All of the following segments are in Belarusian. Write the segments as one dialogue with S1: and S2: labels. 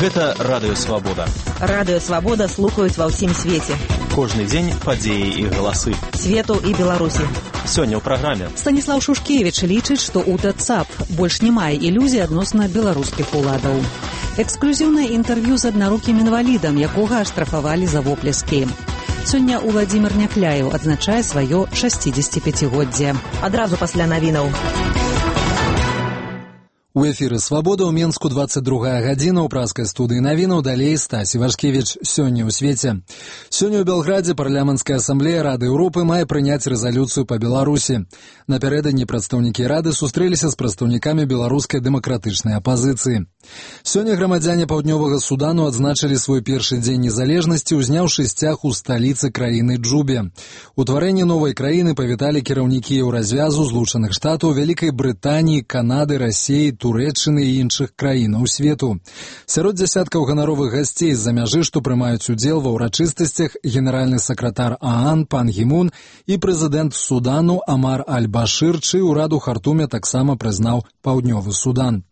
S1: Гэта Радыё Свабода.
S2: Радыё Свабода слухаюць ва ўсім свеце.
S1: Кожны дзень падзеі і галасы.
S2: Свету і Беларусі.
S1: Сёння ў праграме.
S2: Станіслаў Шушкевіч лічыць, што ў ТЦАП больш не мае ілюзій адносна беларускіх уладаў. Эксклюзіўнае інтэрв'ю з аднарукім інвалідам, якога аштрафавалі за воплескі. Сёння Уладзімір Някляеў адзначае сваё 65-годдзе. Адразу пасля навінаў.
S3: У эфіры «Свабода» ў Менску 22 гадзіна ў праскай студыі навінаў, далей Стась Івашкевіч. Сёння ў свеце. Сёння ў Белградзе парламенцкая асамблея Рады Еўропы мае прыняць рэзалюцыю па Беларусі. Напярэдадні прадстаўнікі Рады сустрэліся з прадстаўнікамі беларускай дэмакратычнай апазіцыі. Сёння грамадзяне Паўднёвага Судану адзначылі свой першы дзень незалежнасці, узняўшы сцяг у сталіцы краіны Джубе. Утварэнне новай краіны павіталі кіраўнікі Еўразвязу, Злучаных Штатаў, Вялікай Брытаніі, Канады, Расіі, Турэччыны і іншых краінаў свету. Сярод дзясяткаў ганаровых гасцей з-за мяжы, што прымаюць удзел ва ўрачыстасцях, генеральны сакратар ААН Пан Гі Мун і прэзідэнт Судану Амар Аль-Башыр, чый урад у Хартуме таксама прызнаў Паўднёвы Судан.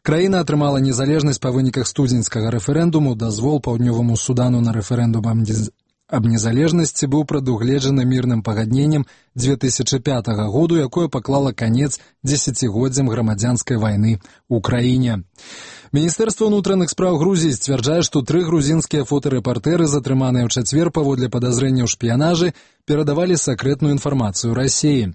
S3: Краіна атрымала незалежнасць па выніках студзеньскага рэферэндуму. Дазвол Паўднёваму Судану на рэферэндум аб незалежнасці быў прадугледжаны мірным пагадненнем 2005 году, якое паклала канец дзесяцігоддзям грамадзянскай вайны ў краіне. Міністэрства ўнутраных спраў Грузіі сцвярджае, што 3 грузінскія фотарэпартэры, затрыманыя ў чацвер паводле падазрэння ў шпіянажы, перадавалі сакрэтную інфармацыю Расіі.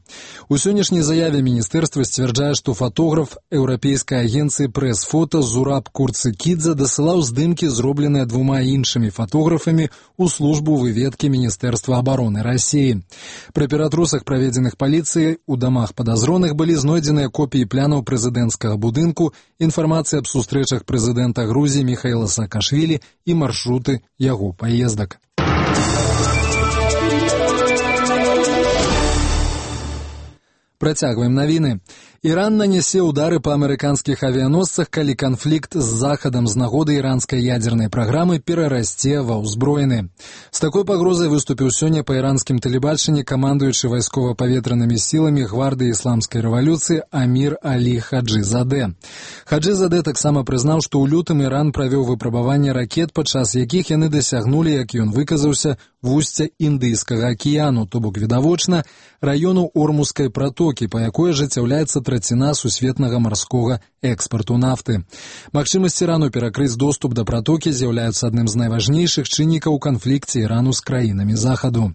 S3: У сённяшняй заяве міністэрства сцвярджае, што фотограф еўрапейскай агенцыі прэс-фота Зураб Курцыкідзе дасылаў здымкі, зробленыя 2 іншымі фотографамі, у службу выведкі Міністэрства абароны Расіі. Пры ператрусах, праведзеных паліцыяй, у дамах падазроных былі знойдзеныя копіі плянаў прэзідэнцкага будынку, інфармацыя аб сустрэчах прэзідэнта Грузіі Міхаіла Саакашвілі і маршруты яго паездак. Працягваем навіны. Іран нанясе ўдары па амерыканскіх авіяносцах, калі канфлікт з Захадам з нагоды іранскай ядзернай праграмы перарасце ва ўзброены. З такой пагрозай выступіў сёння па іранскім тэлебачанні камандуючы вайскова-паветранымі сіламі гвардыі ісламскай рэвалюцыі Амір Алі Хаджызадэ. Хаджызадэ таксама прызнаў, што ў лютым Іран правёў выпрабаванне ракет, падчас якіх яны дасягнулі, як ён выказаўся, вусця Індыйскага акіяну, то бок відавочна, раёну Ормузскай пратокі, па якой ажыццяўляецца траціна сусветнага марскога экспарту нафты. Магчымасць Ірану перакрыць доступ да пратокі з'яўляюцца адным з найважнейшых чыннікаў у канфлікце Ірану з краінамі Захаду.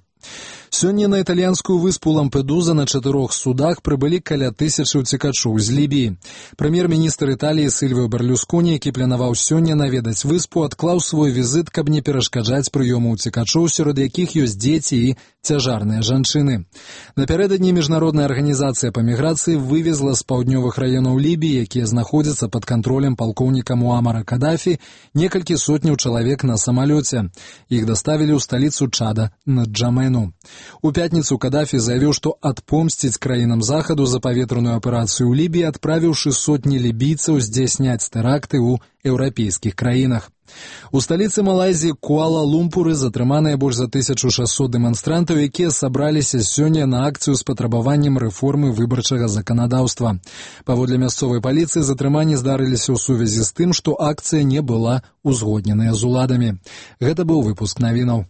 S3: Сёння на італьянскую выспу Лампедуза на 4 судах прыбылі каля 1000 уцекачоў з Лібіі. Прэм'ер-міністр Італіі Сільвіо Берлюсконі, які планаваў сёння наведаць выспу, адклаў свой візіт, каб не перашкаджаць прыёму уцекачоў, сярод якіх ёсць дзеці і цяжарныя жанчыны. Напярэдадні міжнародная арганізацыя па міграцыі вывезла з паўднёвых раёнаў Лібіі, якія знаходзяцца пад кантролем палкоўніка Муамара Кадафі, некалькі сотняў чалавек на самалёце. Іх даставілі ў сталіцу Чада, Нджамену. У пятніцу Кадафі заявіў, што адпомсціць краінам Захаду за паветраную аперацыю ў Лібіі, адправіўшы сотні лібійцаў здзяйсняць тэракты ў еўрапейскіх краінах. У сталіцы Малайзіі Куала-Лумпуры затрыманыя больш за 1600 дэманстрантаў, якія сабраліся сёння на акцыю з патрабаваннем рэформы выбарчага заканадаўства. Паводле мясцовай паліцыі затрыманні здарыліся ў сувязі з тым, што акцыя не была узгодненая з уладамі. Гэта быў выпуск навінаў.